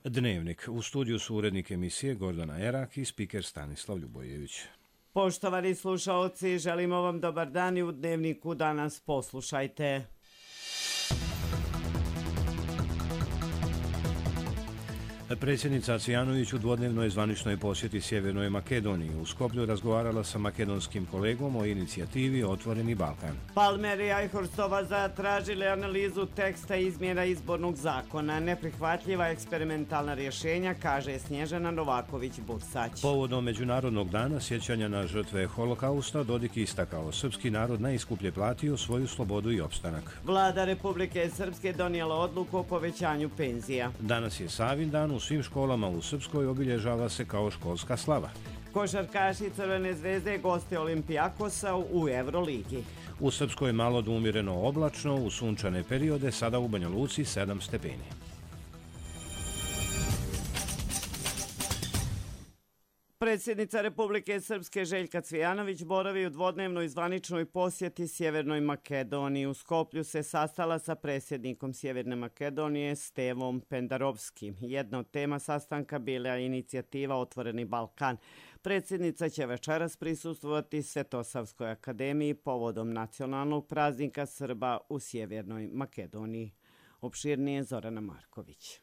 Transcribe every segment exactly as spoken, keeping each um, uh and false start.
Dnevnik. U studiju su urednik emisije Gordana Erak i spiker Stanislav Ljubojević. Poštovani slušaoci, želimo vam dobar dan i u Dnevniku danas poslušajte. Predsjednica Cvijanović u dvodnevnoj zvaničnoj posjeti Sjevernoj Makedoniji u Skoplju razgovarala sa makedonskim kolegom o inicijativi Otvoreni Balkan. Palmer i Ajhorstova zatražili analizu teksta izmjena izbornog zakona. Neprihvatljiva eksperimentalna rješenja, kaže Snježana Novaković-Bursać. Povodom Međunarodnog dana sjećanja na žrtve holokausta, Dodik istakao, srpski narod najskuplje platio svoju slobodu i opstanak. Vlada Republike Srpske donijela odluku o povećanju penzija. Danas je Savin dan. U svim školama u Srpskoj obilježava se kao školska slava. Košarkaši Crvene zvezde goste Olimpijakosa u Euroligi. U Srpskoj malo do umjereno oblačno, u sunčane periode, sada u Banja Luci sedam stepeni. Predsjednica Republike Srpske Željka Cvijanović boravi u dvodnevnoj zvaničnoj posjeti Sjevernoj Makedoniji. U Skoplju se sastala sa predsjednikom Sjeverne Makedonije Stevom Pendarovskim. Jedna od tema sastanka bila je inicijativa Otvoreni Balkan. Predsjednica će večeras prisustvovati Svetosavskoj akademiji povodom nacionalnog praznika Srba u Sjevernoj Makedoniji. Opširnije Zorana Marković.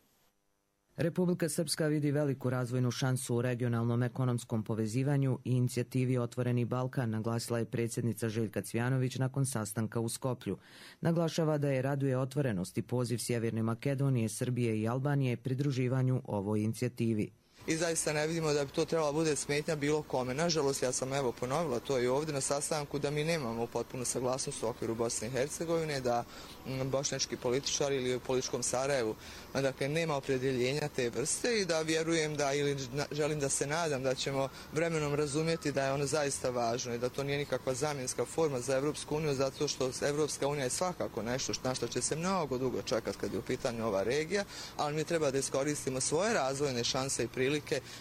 Republika Srpska vidi veliku razvojnu šansu u regionalnom ekonomskom povezivanju i inicijativi Otvoreni Balkan, naglasila je predsjednica Željka Cvijanović nakon sastanka u Skoplju. Naglašava da je raduje otvorenost i poziv Sjeverne Makedonije, Srbije i Albanije pridruživanju ovoj inicijativi. I zaista ne vidimo da bi to trebalo bude smetnja bilo kome. Nažalost, ja sam evo ponovila to i ovdje na sastanku da mi nemamo potpunu saglasnost u okviru Bosne i Hercegovine, da bošnjački političari ili u političkom Sarajevu dakle, nema opredjeljenja te vrste i da vjerujem da ili želim da se nadam da ćemo vremenom razumjeti da je ono zaista važno i da to nije nikakva zamjenska forma za Evropsku uniju, zato što Evropska unija je svakako nešto na što će se mnogo dugo čekati kad je u pitanju ova regija, ali mi treba da iskoristimo svoje razvojne šanse i prilike,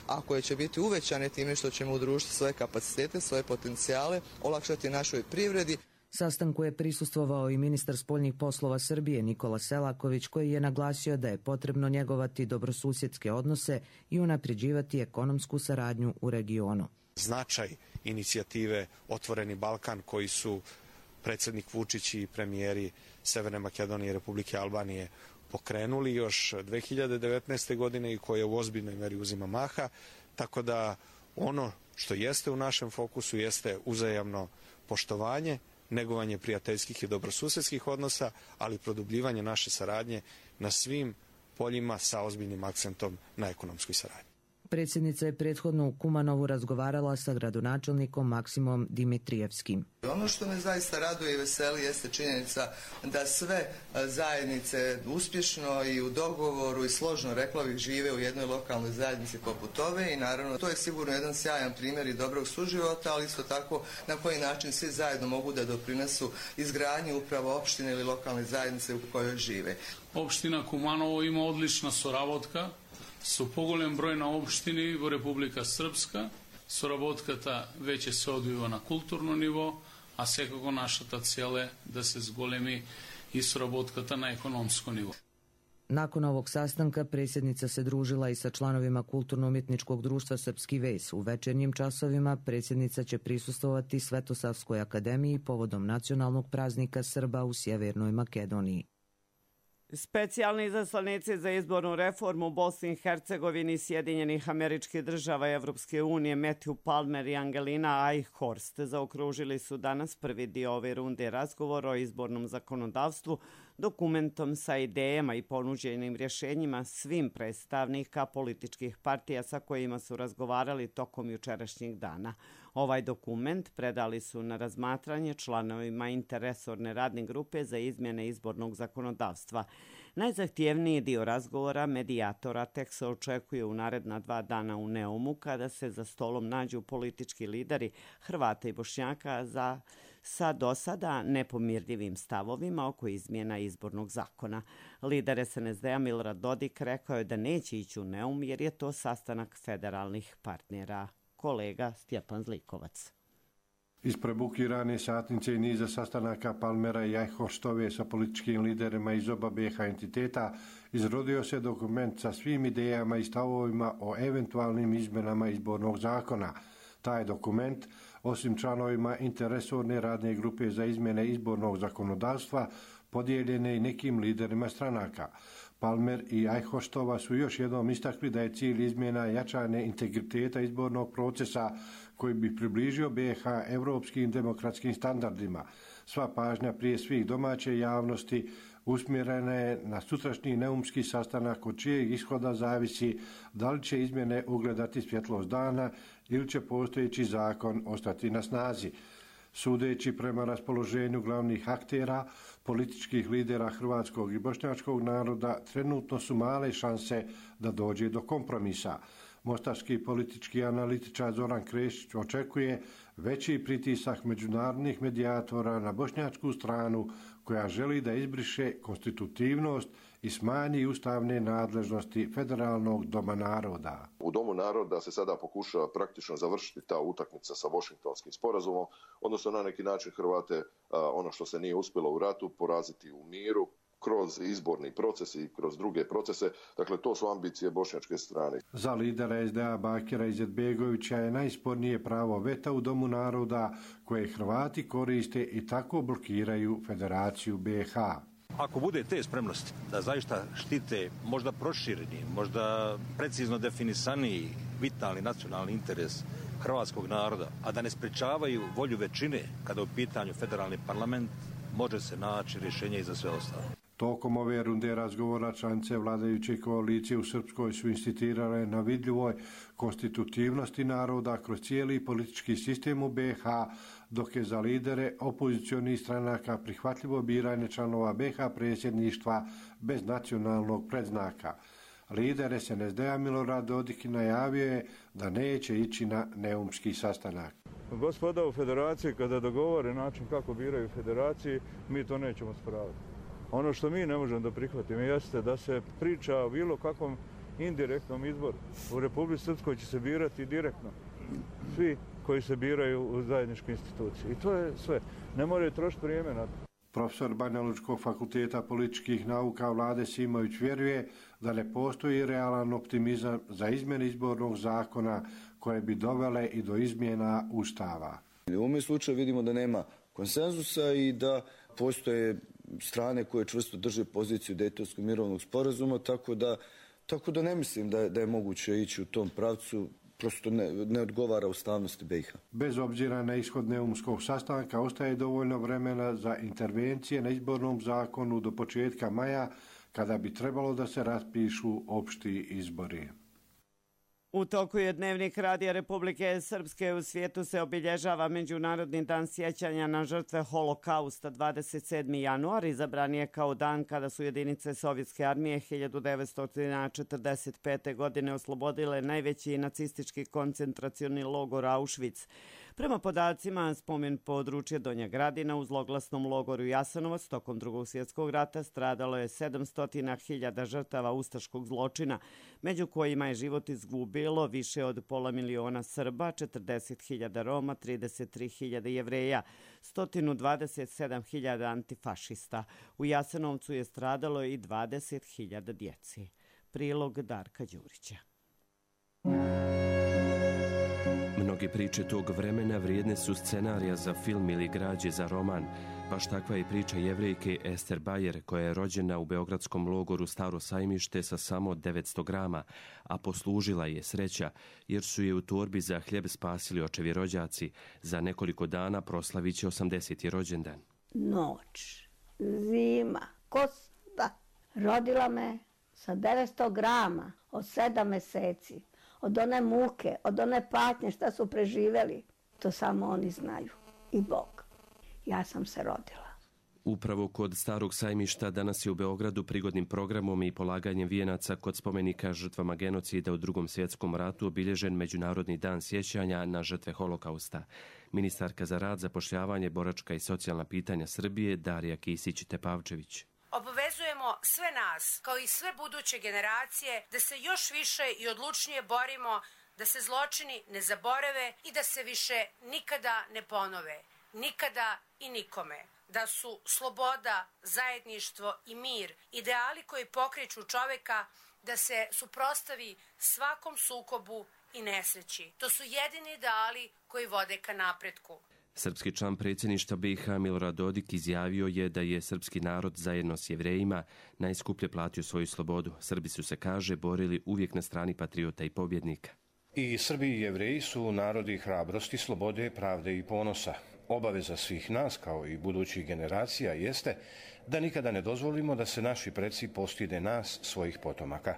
a koje će biti uvećane time što ćemo udružiti svoje kapacitete, svoje potencijale, olakšati našoj privredi. Sastanku je prisustvovao i ministar spoljnih poslova Srbije Nikola Selaković, koji je naglasio da je potrebno njegovati dobrosusjedske odnose i unapređivati ekonomsku saradnju u regionu. Značaj inicijative Otvoreni Balkan koji su predsjednik Vučić i premijeri Severne Makedonije i Republike Albanije pokrenuli još dve hiljade devetnaeste. godine i koje u ozbiljnoj meri uzima maha, tako da ono što jeste u našem fokusu jeste uzajamno poštovanje, negovanje prijateljskih i dobrosusjedskih odnosa, ali produbljivanje naše saradnje na svim poljima sa ozbiljnim akcentom na ekonomskoj saradnji. Predsjednica je prethodno u Kumanovu razgovarala sa gradonačelnikom Maksimom Dimitrijevskim. Ono što me zaista raduje i veseli jeste činjenica da sve zajednice uspješno i u dogovoru i složno, rekla bih, žive u jednoj lokalnoj zajednici poput ove i naravno to je sigurno jedan sjajan primjer i dobrog suživota, ali isto tako na koji način svi zajedno mogu da doprinesu izgradnji upravo opštine ili lokalne zajednice u kojoj žive. Opština Kumanovo ima odlična sоработка со поголем број на општини во Република Српска. Соработката веќе се одвива на културно ниво, а секако нашата цел е да се зголеми и соработката на економско ниво. Nakon ovog sastanka predsjednica se družila i sa članovima Kulturno-umjetničkog društva Srpski ves. U večernjim časovima predsjednica će prisustvovati Svetosavskoj akademiji povodom nacionalnog praznika Srba u Sjevernoj Makedoniji. Specijalni izaslanici za izbornu reformu u Bosni i Hercegovini, Sjedinjenih Američkih Država i Evropske unije Matthew Palmer i Angelina Eichhorst zaokružili su danas prvi dio ove runde razgovora o izbornom zakonodavstvu dokumentom sa idejama i ponuđenim rješenjima svim predstavnika političkih partija sa kojima su razgovarali tokom jučerašnjeg dana. Ovaj dokument predali su na razmatranje članovima interresorne radne grupe za izmjene izbornog zakonodavstva. Najzahtjevniji dio razgovora medijatora tek se očekuje u naredna dva dana u Neumu, kada se za stolom nađu politički lideri Hrvata i Bošnjaka za sa do sada nepomirljivim stavovima oko izmjena izbornog zakona. Lider es en es de-a Milorad Dodik rekao je da neće ići u Neum jer je to sastanak federalnih partnera. Kolega Stjepan Zlikovac. Iz prebukirane satnice i niza sastanaka Palmera i Eichhorstove sa političkim liderima iz oba B iH entiteta izrodio se dokument sa svim idejama i stavovima o eventualnim izmenama izbornog zakona. Taj dokument, osim članovima interresorne radne grupe za izmjene izbornog zakonodavstva, podijeljen je i nekim liderima stranaka. Palmer i Eichhorstova su još jednom istakli da je cilj izmjena jačanje integriteta izbornog procesa koji bi približio B iH evropskim demokratskim standardima. Sva pažnja prije svih domaće javnosti usmjerena je na sutrašnji neumski sastanak od čijeg ishoda zavisi da li će izmjene ugledati svjetlost dana ili će postojeći zakon ostati na snazi. Sudeći prema raspoloženju glavnih aktera, političkih lidera hrvatskog i bošnjačkog naroda, trenutno su male šanse da dođe do kompromisa. Mostarski politički analitičar Zoran Krešić očekuje veći pritisak međunarodnih medijatora na bošnjačku stranu koja želi da izbriše konstitutivnost i smanji ustavne nadležnosti Federalnog doma naroda. U Domu naroda se sada pokušava praktično završiti ta utakmica sa Washingtonskim sporazumom, odnosno na neki način Hrvate, ono što se nije uspjelo u ratu, poraziti u miru kroz izborni proces i kroz druge procese. Dakle, to su ambicije bošnjačke strane. Za lidera es de a Bakira Izetbegovića je najspornije pravo veta u Domu naroda koje Hrvati koriste i tako blokiraju Federaciju B iH. Ako bude te spremnosti da zaista štite možda prošireni, možda precizno definisaniji vitalni nacionalni interes hrvatskog naroda, a da ne sprečavaju volju većine kada je u pitanju federalni parlament, može se naći rješenje i za sve ostalo. Tokom ove runde razgovora članice vladajuće koalicije u Srpskoj su insistirale na vidljivoj konstitutivnosti naroda kroz cijeli politički sistem u B iH, dok je za lidere opozicionih stranaka prihvatljivo biranje članova B iH predsjedništva bez nacionalnog predznaka. Lider es en es de a Milorad Dodik najavio je da neće ići na neumski sastanak. Gospoda u federaciji kada dogovore način kako biraju federaciji, mi to nećemo spraviti. Ono što mi ne možemo da prihvatimo jeste da se priča o bilo kakvom indirektnom izboru. U Republici Srpskoj će se birati direktno svi koji se biraju u zajedničkoj instituciji. I to je sve. Ne moraju trošiti vrijeme na to. Profesor Banjalučkog fakulteta političkih nauka Vlade Simović vjeruje da ne postoji realan optimizam za izmjene izbornog zakona koje bi dovele i do izmjena Ustava. U ovom slučaju vidimo da nema konsenzusa i da postoje strane koje čvrsto drže poziciju Dejtonskog mirovnog sporazuma, tako da, tako da ne mislim da je, da je moguće ići u tom pravcu, prosto ne, ne odgovara ustavnosti B iH. Bez obzira na ishod neumskog sastanka ostaje dovoljno vremena za intervencije na izbornom zakonu do početka maja, kada bi trebalo da se raspišu opšti izbori. U toku je Dnevnik Radija Republike Srpske. U svijetu se obilježava Međunarodni dan sjećanja na žrtve Holokausta. dvadeset sedmi januar izabran je kao dan kada su jedinice Sovjetske armije hiljadu devetsto četrdeset pete. godine oslobodile najveći nacistički koncentracioni logor Auschwitz. Prema podacima, spomen područje Donja Gradina u zloglasnom logoru Jasenovac tokom Drugog svjetskog rata stradalo je sedamsto hiljada žrtava ustaškog zločina, među kojima je život izgubilo više od pola miliona Srba, četrdeset hiljada Roma, trideset tri hiljade Jevreja, sto dvadeset sedam hiljada antifašista. U Jasenovcu je stradalo i dvadeset hiljada djeci. Prilog Darka Đurića. Mnoge priče tog vremena vrijedne su scenarija za film ili građe za roman. Baš takva je priča Jevrejke Ester Bajer, koja je rođena u beogradskom logoru Staro Sajmište sa samo devetsto grama, a poslužila je sreća jer su je u torbi za hljeb spasili očevi rođaci. Za nekoliko dana proslavit će osamdeseti rođendan. Noć, zima, kosta. Rodila me sa devetsto grama od sedam meseci. Od one muke, od one patnje šta su preživjeli, to samo oni znaju. I Bog. Ja sam se rodila. Upravo kod Starog Sajmišta danas je u Beogradu prigodnim programom i polaganjem vijenaca kod spomenika žrtvama genocida u Drugom svjetskom ratu obilježen Međunarodni dan sjećanja na žrtve Holokausta. Ministarka za rad, zapošljavanje, boračka i socijalna pitanja Srbije Darija Kisić-Tepavčević. Obavezujemo sve nas, kao i sve buduće generacije, da se još više i odlučnije borimo da se zločini ne zaborave i da se više nikada ne ponove. Nikada i nikome. Da su sloboda, zajedništvo i mir ideali koji pokreću čoveka da se suprotstavi svakom sukobu i nesreći. To su jedini ideali koji vode ka napretku. Srpski član predsjedništva B i H Milorad Dodik izjavio je da je srpski narod zajedno s Jevrejima najskuplje platio svoju slobodu. Srbi su se, kaže, borili uvijek na strani patriota i pobjednika. I Srbi i Jevreji su narodi hrabrosti, slobode, pravde i ponosa. Obaveza svih nas, kao i budućih generacija, jeste da nikada ne dozvolimo da se naši preci postide nas, svojih potomaka.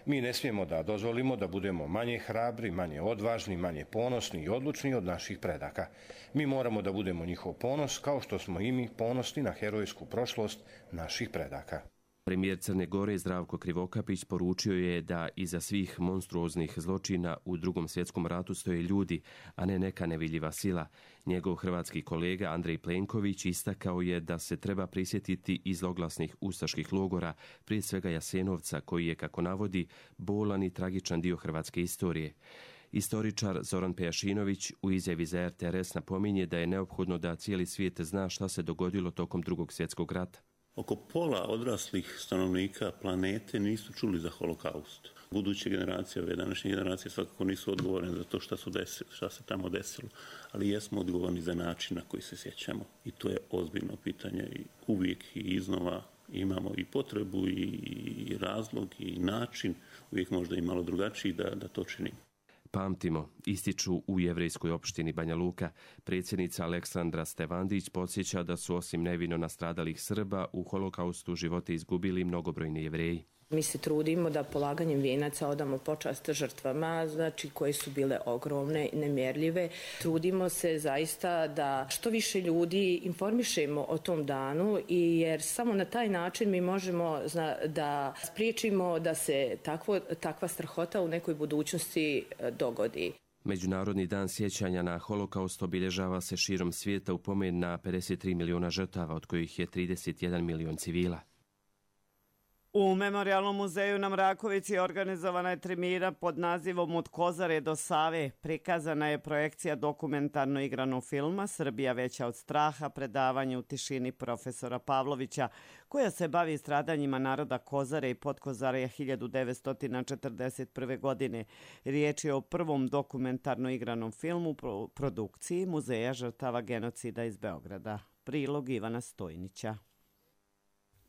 Mi ne smijemo da dozvolimo da budemo manje hrabri, manje odvažni, manje ponosni i odlučni od naših predaka. Mi moramo da budemo njihov ponos, kao što smo i mi ponosni na herojsku prošlost naših predaka. Premijer Crne Gore Zdravko Krivokapić poručio je da iza svih monstruoznih zločina u Drugom svjetskom ratu stoje ljudi, a ne neka nevidljiva sila. Njegov hrvatski kolega Andrej Plenković istakao je da se treba prisjetiti i zloglasnih ustaških logora, prije svega Jasenovca, koji je, kako navodi, bolan i tragičan dio hrvatske istorije. Istoričar Zoran Pejašinović u izjavi za R T R S napominje da je neophodno da cijeli svijet zna šta se dogodilo tokom Drugog svjetskog rata. Oko pola odraslih stanovnika planete nisu čuli za holokaust. Buduće generacije, ove današnje generacije svakako nisu odgovorne za to šta, su desili, šta se tamo desilo, ali jesmo odgovorni za način na koji se sjećamo. I to je ozbiljno pitanje i uvijek i iznova imamo i potrebu i razlog i način, uvijek možda i malo drugačiji da, da to činimo. Pamtimo, ističu u jevrejskoj opštini Banja Luka. Predsjednica Aleksandra Stevandić podsjeća da su osim nevino nastradalih Srba u holokaustu živote izgubili mnogobrojni Jevreji. Mi se trudimo da polaganjem vijenaca odamo počast žrtvama, znači koje su bile ogromne, nemjerljive. Trudimo se zaista da što više ljudi informišemo o tom danu, i jer samo na taj način mi možemo da spriječimo da se takvo, takva strahota u nekoj budućnosti dogodi. Međunarodni dan sjećanja na holokaust obilježava se širom svijeta u pomen na pedeset tri miliona žrtava, od kojih je trideset jedan milion civila. U Memorijalnom muzeju na Mrakovici organizovana je tribina pod nazivom Od Kozare do Save. Prikazana je projekcija dokumentarno igranog filma Srbija veća od straha, predavanje u tišini profesora Pavlovića, koja se bavi stradanjima naroda Kozare i Podkozarja hiljadu devetsto četrdeset prve. godine. Riječ je o prvom dokumentarno igranom filmu u produkciji Muzeja žrtava genocida iz Beograda. Prilog Ivana Stojnića.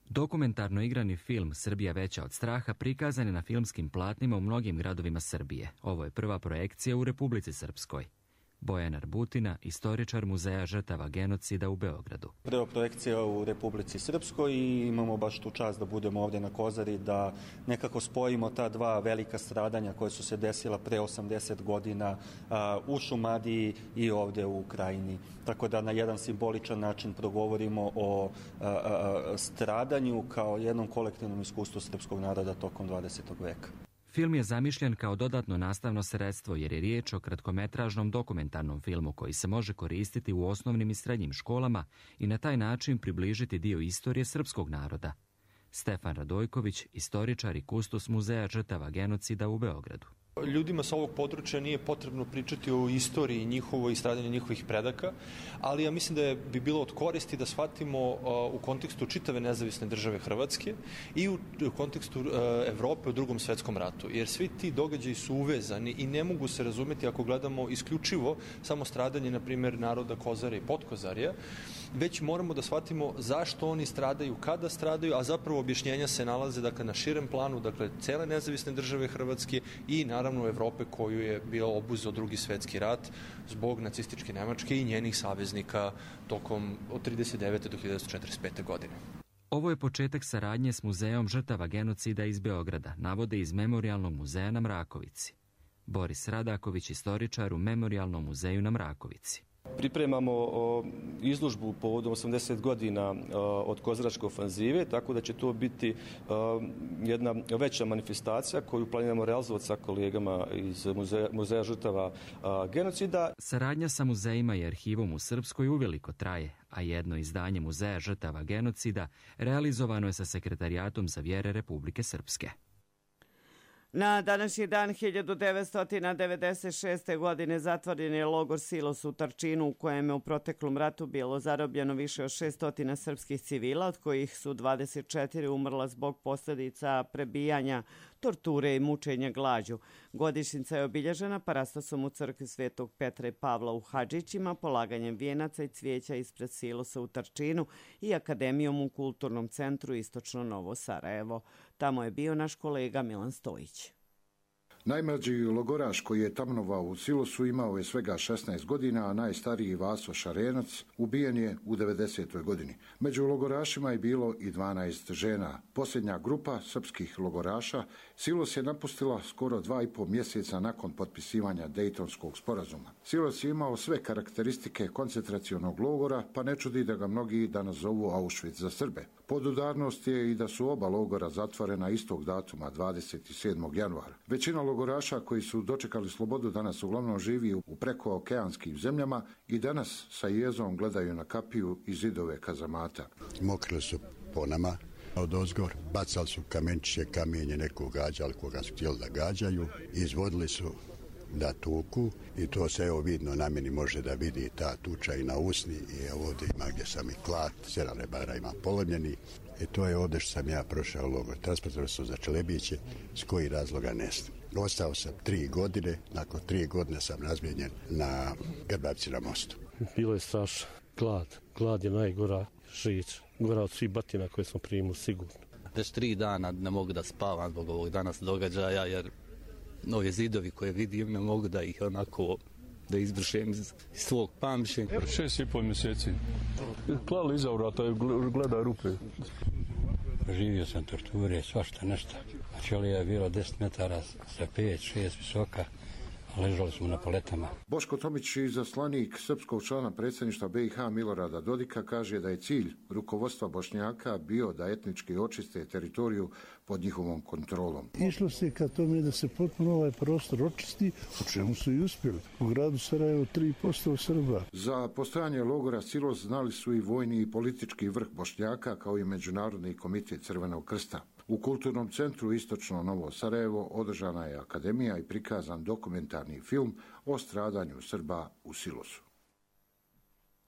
Dokumentarno igrani film Srbija veća od straha prikazan je na filmskim platnima u mnogim gradovima Srbije. Ovo je prva projekcija u Republici Srpskoj. Bojan Arbutina, istoričar Muzeja žrtava genocida u Beogradu. Prva projekcija u Republici Srpskoj i imamo baš tu čast da budemo ovdje na Kozari, da nekako spojimo ta dva velika stradanja koje su se desila pre osamdeset godina a, u Šumadiji i ovdje u Krajini. Tako da na jedan simboličan način progovorimo o a, a, stradanju kao jednom kolektivnom iskustvu srpskog naroda tokom dvadesetog veka. Film je zamišljen kao dodatno nastavno sredstvo jer je riječ o kratkometražnom dokumentarnom filmu koji se može koristiti u osnovnim i srednjim školama i na taj način približiti dio istorije srpskog naroda. Stefan Radojković, istoričar i kustos Muzeja žrtava genocida u Beogradu. Ljudima sa ovog područja nije potrebno pričati o istoriji njihovoj i stradanju njihovih predaka, ali ja mislim da je, bi bilo od koristi da shvatimo uh, u kontekstu čitave nezavisne države Hrvatske i u, u kontekstu uh, Evrope u Drugom svjetskom ratu, jer svi ti događaji su uvezani i ne mogu se razumjeti ako gledamo isključivo samo stradanje, na primjer, naroda Kozare i Podkozarja, već moramo da shvatimo zašto oni stradaju, kada stradaju, a zapravo objašnjenja se nalaze dakle, na širem planu, dakle, cele nezavisne države Hrvatske i naravno Evrope koju je bio obuzeo Drugi svjetski rat zbog nacističke Nemačke i njenih saveznika tokom od trideset devete do hiljadu devetsto četrdeset pete. godine. Ovo je početak saradnje s Muzejom žrtava genocida iz Beograda, navode iz Memorijalnog muzeja na Mrakovici. Boris Radaković, istoričar u Memorijalnom muzeju na Mrakovici. Pripremamo izložbu povodom osamdeset godina od Kozaračke ofanzive, tako da će to biti jedna veća manifestacija koju planiramo realizovati sa kolegama iz Muzeja, muzeja žrtava genocida. Saradnja sa muzejima i arhivom u Srpskoj uveliko traje, a jedno izdanje Muzeja žrtava genocida realizovano je sa Sekretarijatom za vjere Republike Srpske. Na današnji dan hiljadu devetsto devedeset šeste. godine zatvoren je logor Silos u Trčinu u kojem je u proteklom ratu bilo zarobljeno više od šesto srpskih civila, od kojih su dvadeset četiri umrla zbog posljedica prebijanja, torture i mučenja glađu. Godišnjica je obilježena parastosom u crkvi Svetog Petra i Pavla u Hadžićima, polaganjem vijenaca i cvijeća ispred Silosa u Trčinu i akademijom u Kulturnom centru Istočno Novo Sarajevo. Tamo je bio naš kolega Milan Stojić. Najmlađi logoraš koji je tamnovao u Silosu imao je svega šesnaest godina, a najstariji Vaso Šarenac ubijen je u devedesetoj godini. Među logorašima je bilo i dvanaest žena. Posljednja grupa srpskih logoraša Silos je napustila skoro dva i pol mjeseca nakon potpisivanja Dejtonskog sporazuma. Silos je imao sve karakteristike koncentracionog logora, pa ne čudi da ga mnogi danas zovu Auschwitz za Srbe. Podudarnost je i da su oba logora zatvorena istog datuma, dvadeset sedmog januara. Većina logoraša koji su dočekali slobodu danas uglavnom živi u prekookeanskim zemljama i danas sa jezom gledaju na kapiju i zidove kazamata. Mokrili su po nama od ozgor, bacali su kamenčiće, kamenje, nekog gađali koga su htjeli da gađaju, izvodili su da tuku i to se evo vidno na meni može da vidi ta tuča i na usni i evo ovdje ima gdje sam i klat, sedam rebara ima polomljeni i to je ovdje što sam ja prošao logor. Transportovali su za Čelebiće, s koji razloga ne znam. Ostao sam tri godine, nakon tri godine sam razmijenjen na Grbavci na mostu. Bilo je strašno. Glad. Glad je najgora žić. Gora od svih batina koje smo primili, sigurno. Već tri dana ne mogu da spavam zbog ovog danas događaja, jer nove zidovi koje vidim ne mogu da ih onako da izbrišem iz svog pamćenja. Šest i pol mjeseci. Klali iza vrata, gleda rupe. Proživio sam torture, svašta nešto. Ćelija je bilo deset metara sa pet, šest visoka, a ležali smo na paletama. Boško Tomić, izaslanik srpskog člana predsjedništva B i H Milorada Dodika, kaže da je cilj rukovodstva Bošnjaka bio da etnički očiste teritoriju pod njihovom kontrolom. Išlo se ka tome da se potpuno ovaj prostor očisti, o čemu su i uspjeli. U gradu Sarajevo tri posto Srba. Za postojanje logora Silos znali su i vojni i politički vrh Bošnjaka, kao i Međunarodni komitet Crvenog krsta. U Kulturnom centru Istočno Novo Sarajevo održana je akademija i prikazan dokumentarni film o stradanju Srba u Silosu.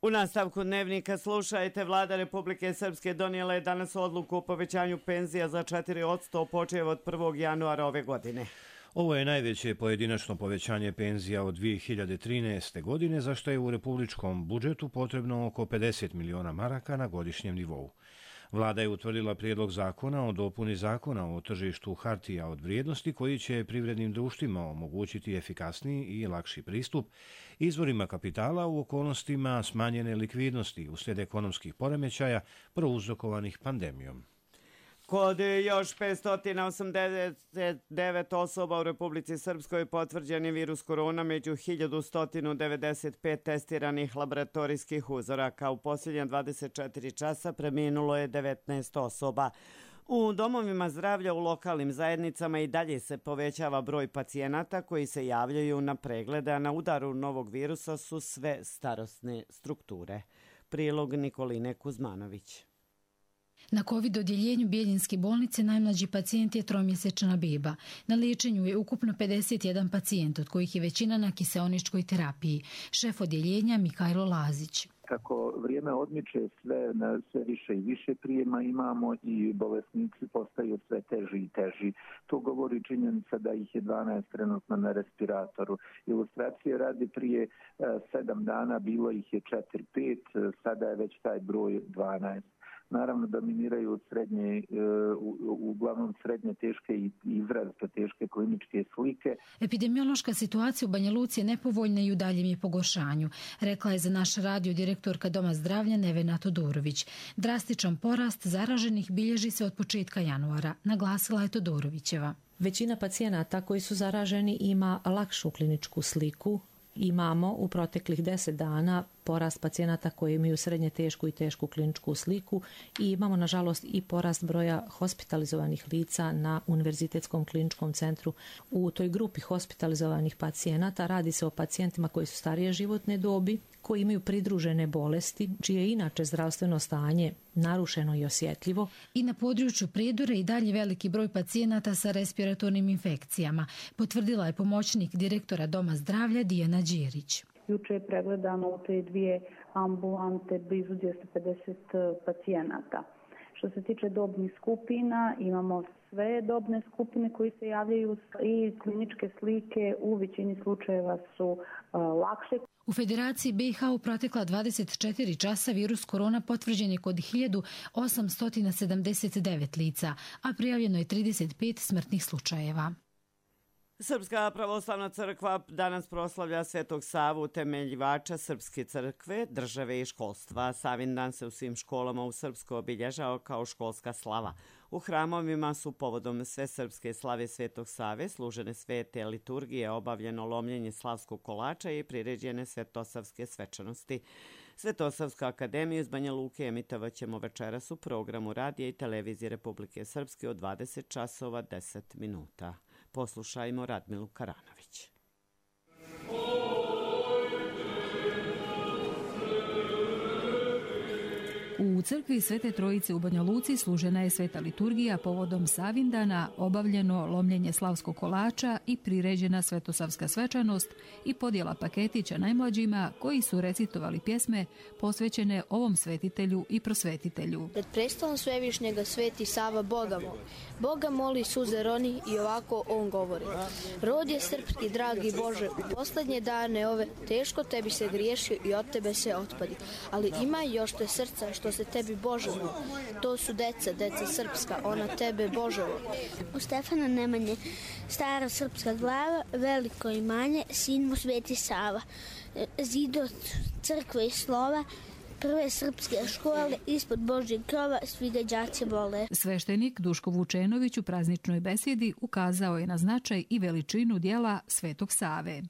U nastavku dnevnika slušajte, vlada Republike Srpske donijela je danas odluku o povećanju penzija za četiri posto počev od prvog januara ove godine. Ovo je najveće pojedinačno povećanje penzija od dvije hiljade trinaeste. godine, za što je u republičkom budžetu potrebno oko pedeset miliona maraka na godišnjem nivou. Vlada je utvrdila prijedlog zakona o dopuni zakona o tržištu hartija od vrijednosti koji će privrednim društvima omogućiti efikasniji i lakši pristup izvorima kapitala u okolnostima smanjene likvidnosti uslijed ekonomskih poremećaja prouzrokovanih pandemijom. Kod još petsto osamdeset devet osoba u Republici Srpskoj potvrđen je virus korona među hiljadu sto devedeset pet testiranih laboratorijskih uzoraka. U posljednja dvadeset četiri časa preminulo je devetnaest osoba. U domovima zdravlja u lokalnim zajednicama i dalje se povećava broj pacijenata koji se javljaju na preglede, a na udaru novog virusa su sve starosne strukture. Prilog Nikoline Kuzmanović. Na COVID odjeljenju Bijeljinske bolnice najmlađi pacijent je tromjesečna beba. Na liječenju je ukupno pedeset jedan pacijent, od kojih je većina na kiseoničkoj terapiji. Šef odjeljenja Mihajlo Lazić. Kako vrijeme odmiče, sve, sve više i više prijema imamo i bolesnici postaju sve teži i teži. To govori činjenica da ih je dvanaest trenutno na respiratoru. Ilustracije radi prije sedam dana, bilo ih je četiri pet, sada je već taj broj dvanaest. Naravno dominiraju srednje, uglavnom srednje teške i izrazito teške kliničke slike. Epidemiološka situacija u Banja Luci je nepovoljna i u daljem je pogoršanju, rekla je za naš radio direktorka Doma zdravlja Nevena Todorović. Drastičan porast zaraženih bilježi se od početka januara, naglasila je Todorovićeva. Većina pacijenata koji su zaraženi ima lakšu kliničku sliku. Imamo u proteklih deset dana porast pacijenata koji imaju srednje tešku i tešku kliničku sliku i imamo nažalost i porast broja hospitalizovanih lica na Univerzitetskom kliničkom centru. U toj grupi hospitalizovanih pacijenata radi se o pacijentima koji su starije životne dobi, koji imaju pridružene bolesti, čije inače zdravstveno stanje narušeno i osjetljivo. I na području Prijedora i dalje veliki broj pacijenata sa respiratornim infekcijama, potvrdila je pomoćnik direktora Doma zdravlja Dijana Đirić. Juče je pregledano u te dvije ambulante blizu dvjesto pedeset pacijenata. Što se tiče dobnih skupina, imamo sve dobne skupine koji se javljaju i kliničke slike u većini slučajeva su uh, lakše. U Federaciji B i H u protekla dvadeset četiri časa virus korona potvrđen je kod hiljadu osamsto sedamdeset devet lica, a prijavljeno je trideset pet smrtnih slučajeva. Srpska pravoslavna crkva danas proslavlja Svetog Savu, utemeljivača Srpske crkve, države i školstva. Savin dan se u svim školama u Srpskoj obilježao kao školska slava. U hramovima su povodom svesrpske slave Svetog Save služene svete liturgije, obavljeno lomljenje slavskog kolača i priređene svetosavske svečanosti. Svetosavsku akademiju iz Banja Luke emitovat ćemo večeras u programu radija i televizije Republike Srpske od dvadeset časova deset minuta. Poslušajmo Radmilu Karanović. U crkvi Svete Trojice u Banja Luci služena je sveta liturgija povodom Savindana, obavljeno lomljenje slavskog kolača i priređena svetosavska svečanost i podjela paketića najmlađima koji su recitovali pjesme posvećene ovom svetitelju i prosvetitelju. Pred prestolom Svevišnjega sveti Sava Boga moli. Boga moli suze roni i ovako on govori. Rod je srpski, dragi Bože, u posljednje dane ove teško tebi se griješio i od tebe se otpadi. Ali ima još te srca što se tebi Bože voli. To su deca, deca srpska, ona tebe Bože voli. U Stefana Nemanje, stara srpska glava, veliko imanje, sin mu Sveti Sava. Zidot crkve i slova, prve srpske škole, ispod Božjeg krova, svi ga đaci vole. Sveštenik Duško Vučenović u prazničnoj besjedi ukazao je na značaj i veličinu dijela Svetog Save.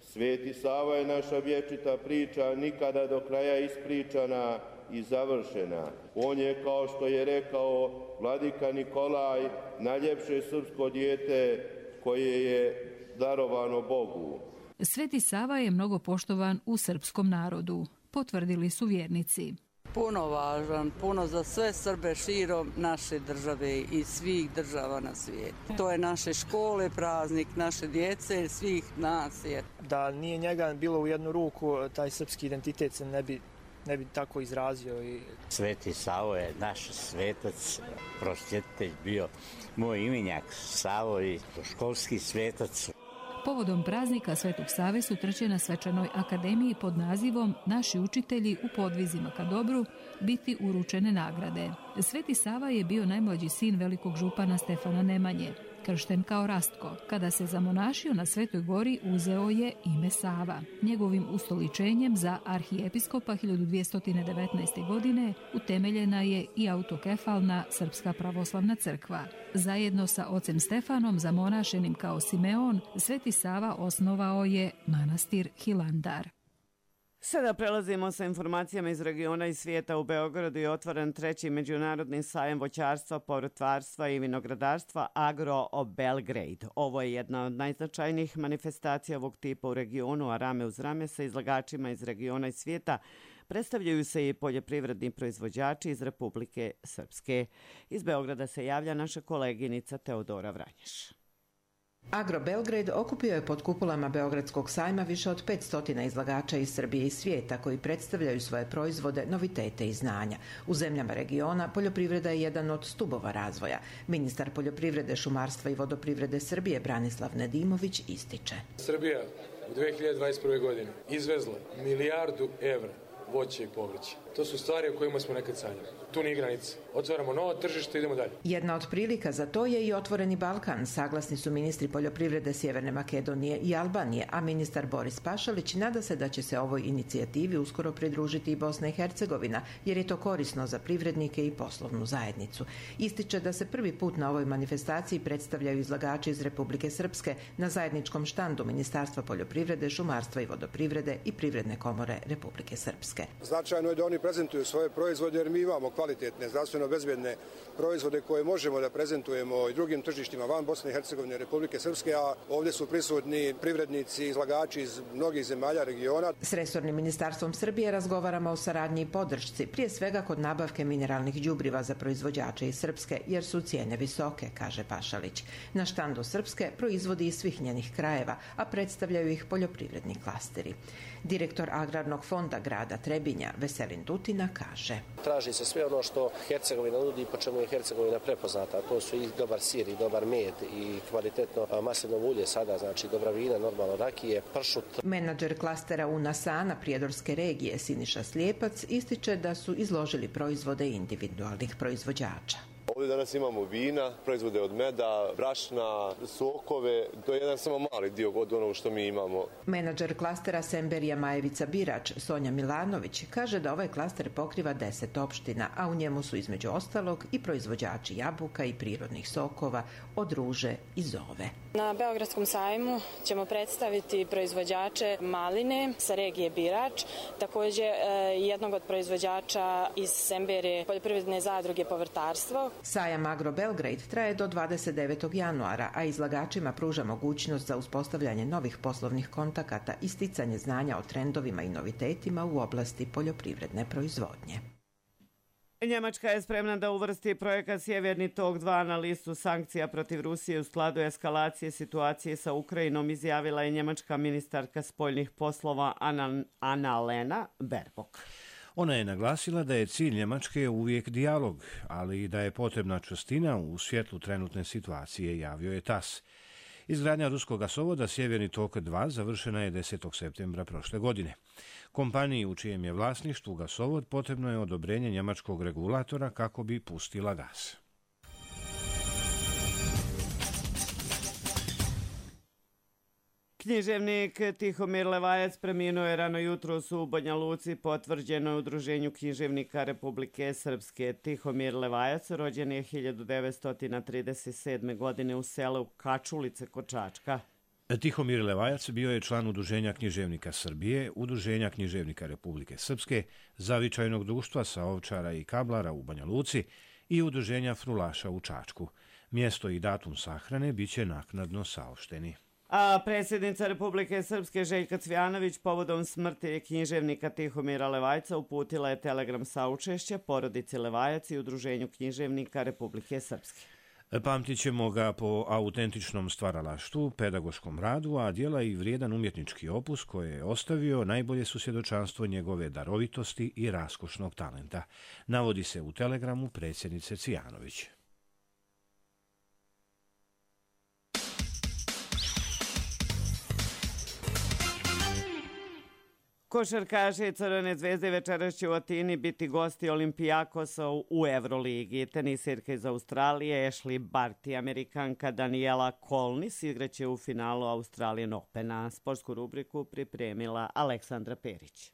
Sveti Sava je naša vječita priča, nikada do kraja ispričana i završena. On je, kao što je rekao vladika Nikolaj, najljepše srpsko dijete koje je darovano Bogu. Sveti Sava je mnogo poštovan u srpskom narodu, potvrdili su vjernici. Puno važan, puno za sve Srbe širom naše države i svih država na svijetu. To je naše škole, praznik naše djece, svih nas. Je. Da nije njega bilo u jednu ruku, taj srpski identitet se ne bi, ne bi tako izrazio. I... Sveti Savo je naš svetac, prosvjetitelj bio moj imenjak Savo i školski svetac. Povodom praznika Svetog Save su trče na svečanoj akademiji pod nazivom Naši učitelji u podvizima ka dobru biti uručene nagrade. Sveti Sava je bio najmlađi sin velikog župana Stefana Nemanje, kršten kao Rastko. Kada se zamonašio na Svetoj gori, uzeo je ime Sava. Njegovim ustoličenjem za arhijepiskopa hiljadu dvjesto devetnaeste. godine utemeljena je i autokefalna Srpska pravoslavna crkva. Zajedno sa ocem Stefanom, zamonašenim kao Simeon, Sveti Sava osnovao je manastir Hilandar. Sada prelazimo sa informacijama iz regiona i svijeta. U Beogradu je otvoren treći međunarodni sajam voćarstva, povrtlarstva i vinogradarstva Agro Belgrade. Ovo je jedna od najznačajnijih manifestacija ovog tipa u regionu, a rame uz rame sa izlagačima iz regiona i svijeta predstavljaju se i poljoprivredni proizvođači iz Republike Srpske. Iz Beograda se javlja naša koleginica Teodora Vranješ. Agro Belgrade okupio je pod kupolama Beogradskog sajma više od petsto izlagača iz Srbije i svijeta koji predstavljaju svoje proizvode, novitete i znanja. U zemljama regiona poljoprivreda je jedan od stubova razvoja. Ministar poljoprivrede, šumarstva i vodoprivrede Srbije Branislav Nedimović ističe. Srbija u dve hiljade dvadeset prve. godine izvezla milijardu evra voće i povrće. To su stvari o kojima smo nekad sanjali. Tu nije granica. Otvaramo novo tržište, idemo dalje. Jedna od prilika za to je i Otvoreni Balkan. Saglasni su ministri poljoprivrede Sjeverne Makedonije i Albanije, a ministar Boris Pašalić nada se da će se ovoj inicijativi uskoro pridružiti i Bosna i Hercegovina, jer je to korisno za privrednike i poslovnu zajednicu. Ističe da se prvi put na ovoj manifestaciji predstavljaju izlagači iz Republike Srpske na zajedničkom štandu Ministarstva poljoprivrede, šumarstva i vodoprivrede i Privredne komore Republike Srpske. Srpske. Značajno je da oni prezentuju svoje proizvode jer mi imamo kvalitetne, zdravstveno bezbjedne proizvode koje možemo da prezentujemo i drugim tržištima van Bosne i Hercegovine i Republike Srpske, a ovdje su prisutni privrednici, izlagači iz mnogih zemalja regiona. S resornim ministarstvom Srbije razgovaramo o saradnji i podršci, prije svega kod nabavke mineralnih đubriva za proizvođače iz Srpske, jer su cijene visoke, kaže Pašalić. Na štandu Srpske proizvodi iz svih njenih krajeva, a predstavljaju ih poljoprivredni klasteri. Direktor Agrarnog fonda grada Trebinja, Veselin Tutina, kaže: Traži se sve ono što Hercegovina nudi i po čemu je Hercegovina prepoznata. To su i dobar sir, i dobar med, i kvalitetno maslinovo ulje sada, znači dobra vina, normalno rakije, pršut. Menadžer klastera Unasana Prijedorske regije Siniša Slijepac ističe da su izložili proizvode individualnih proizvođača. Ovdje danas imamo vina, proizvode od meda, brašna, sokove. To je jedan samo mali dio od onog što mi imamo. Menadžer klastera Semberija Majevica Birač, Sonja Milanović, kaže da ovaj klaster pokriva deset opština, a u njemu su između ostalog i proizvođači jabuka i prirodnih sokova od ruže i zove. Na Beogradskom sajmu ćemo predstaviti proizvođače maline sa regije Birač, također jednog od proizvođača iz Semberije poljoprivredne zadruge Povrtarstvo. Sajam Agro Belgrade traje do dvadeset devetog januara, a izlagačima pruža mogućnost za uspostavljanje novih poslovnih kontakata i sticanje znanja o trendovima i novitetima u oblasti poljoprivredne proizvodnje. Njemačka je spremna da uvrsti projekat Sjeverni tok dva na listu sankcija protiv Rusije u skladu eskalacije situacije sa Ukrajinom, izjavila je njemačka ministarka spoljnih poslova Anna-Lena Baerbock. Ona je naglasila da je cilj Njemačke uvijek dijalog, ali i da je potrebna čvrstina u svjetlu trenutne situacije, javio je tas. Izgradnja ruskog gasovoda Sjeverni tok dva završena je desetog septembra prošle godine. Kompaniji u čijem je vlasništvu gasovod potrebno je odobrenje njemačkog regulatora kako bi pustila gas. Književnik Tihomir Levajac preminuo je rano jutros u Banja Luci, potvrđeno je Udruženju književnika Republike Srpske. Tihomir Levajac rođen je hiljadu devetsto trideset sedme. godine u selu Kačulice kod Čačka. Tihomir Levajac bio je član Udruženja književnika Srbije, Udruženja književnika Republike Srpske, Zavičajnog društva sa Ovčara i Kablara u Banja Luci i Udruženja Frulaša u Čačku. Mjesto i datum sahrane biće naknadno saopšteni. A predsjednica Republike Srpske Željka Cvjanović povodom smrti književnika Tihomira Levajca uputila je telegram saučešća porodici Levajac i Udruženju književnika Republike Srpske. Pamtit ćemo ga po autentičnom stvaralaštvu, pedagoškom radu, a djela i vrijedan umjetnički opus koje je ostavio najbolje su svjedočanstvo njegove darovitosti i raskošnog talenta, navodi se u telegramu predsjednice Cvjanović. Košarkaši Crvene zvezde večeras će u Atini biti gosti Olimpijakosa u Euroligi. Tenisirka iz Australije Ashley Barty i Amerikanka Daniela Kolnis igraće u finalu Australian Opena. Sportsku rubriku pripremila Aleksandra Perić.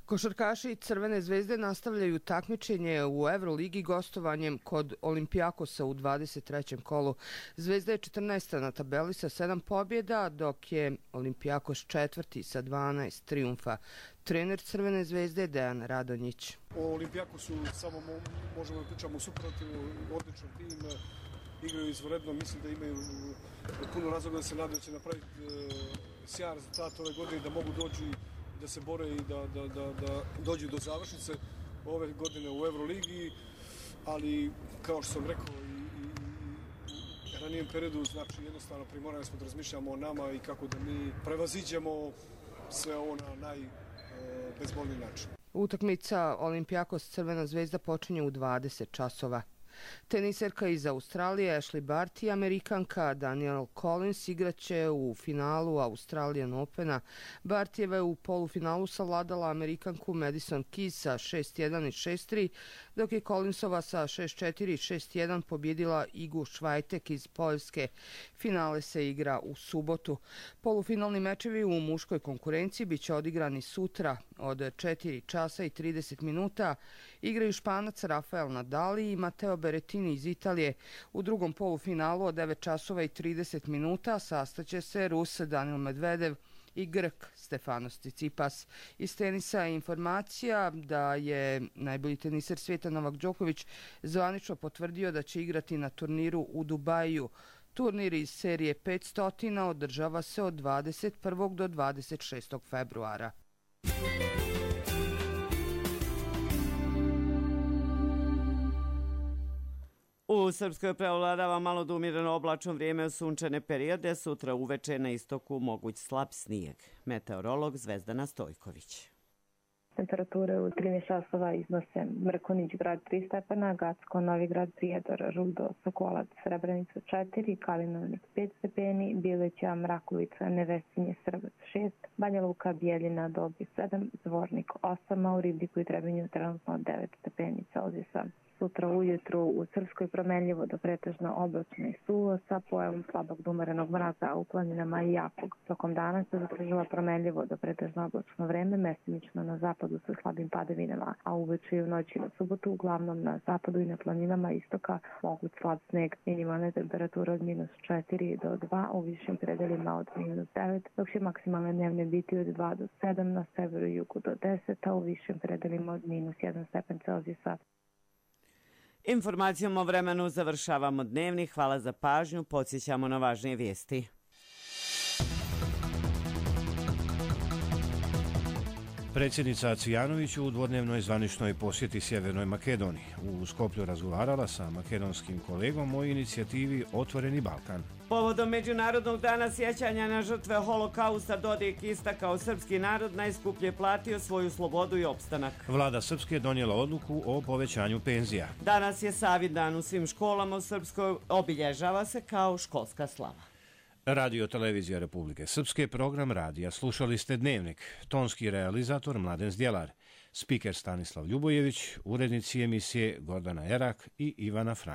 Košarkaši Crvene zvezde nastavljaju takmičenje u Euroligi gostovanjem kod Olimpijakosa u dvadeset trećem kolu. Zvezda je četrnaesta na tabeli sa sedam pobjeda, dok je Olimpijakos četvrti sa dvanaest trijumfa. Trener Crvene zvezde Dejan Radonjić. O Olimpijakosu samo možemo da pričamo u superlativu, odličan tim, igraju izvanredno, mislim da imaju puno razloga da se nadaju da će napraviti sjajan rezultat ove godine, da mogu doći da se bore i da, da, da, da dođu do završnice ove godine u Euroligi, ali kao što sam rekao i, i, i ranijem periodu, znači jednostavno primorani smo da razmišljamo o nama i kako da mi prevaziđemo sve ovo na najbezbolniji način. Utakmica Olimpijakos Crvena zvezda počinje u dvadeset časova. Teniserka iz Australije Ashley Barty i Amerikanka Danielle Collins igraće u finalu Australian Opena. Bartyjeva je u polufinalu savladala Amerikanku Madison Keys sa šest jedan i šest tri, dok je Collinsova sa šest četiri i šest jedan pobjedila Igu Švajtek iz Poljske. Finale se igra u subotu. Polufinalni mečevi u muškoj konkurenciji biće odigrani sutra od četiri časa i trideset minuta. Igraju Španac Rafael Nadal i Matteo Berrettini iz Italije. U drugom polufinalu od devet časova i trideset minuta sastaće se Rus Daniil Medvedev i Grk Stefanos Tsitsipas. Iz tenisa je informacija da je najbolji teniser svijeta Novak Đoković zvanično potvrdio da će igrati na turniru u Dubaju. Turnir iz serije petsto održava se od dvadeset prvog do dvadeset šestog februara. U Srpskoj preovladava malo do umireno oblačno vrijeme u sunčane periode, sutra uveče na istoku moguć slab snijeg. Meteorolog Zvezdana Stojković. Temperature u trinaest časova iznose Mrkonić grad tri stepena, Gacko, Novi grad, Prijedor, Rudo, Sokolac, Srebrenica četiri, Kalinovnik pet stepeni, Bileća, Mrakovica, Nevesinje, Srbac šest, Banja Luka, Bijeljina, Dobri sedam, Zvornik osam, a u Ribniku i Trebinju trenutno devet stepeni Celzijusa. Sutra ujutru u Srpskoj promenljivo do pretežno oblačno i suvo sa pojavom slabog do umerenog mraza, a u planinama i jakog. Tokom dana se zadržava promenljivo do pretežno oblačno vreme, mestimično na zapadu sa slabim padavinama, a uveče i u noći na subotu uglavnom na zapadu i na planinama istoka moguć slab sneg. Minimalne temperature od minus četiri do dva, u višim predelima od minus devet, dok će maksimalne dnevne biti od dva do sedam, na severu i jugu do deset, a u višim predelima od minus jedan stepen Celzijusa. Informacijom o vremenu završavamo dnevni. Hvala za pažnju. Podsjećamo na važnije vijesti. Predsjednica Cvijanović u dvodnevnoj zvaničnoj posjeti Sjevernoj Makedoniji. U Skoplju razgovarala sa makedonskim kolegom o inicijativi Otvoreni Balkan. Povodom Međunarodnog dana sjećanja na žrtve holokausta Dodik istakao srpski narod najskuplje platio svoju slobodu i opstanak. Vlada Srpske donijela odluku o povećanju penzija. Danas je Savindan u svim školama u Srpskoj, obilježava se kao školska slava. Radio Televizija Republike Srpske, program radija. Slušali ste Dnevnik. Tonski realizator Mladen Zdjelar. Spiker Stanislav Ljubojević, urednici emisije Gordana Erak i Ivana Frank.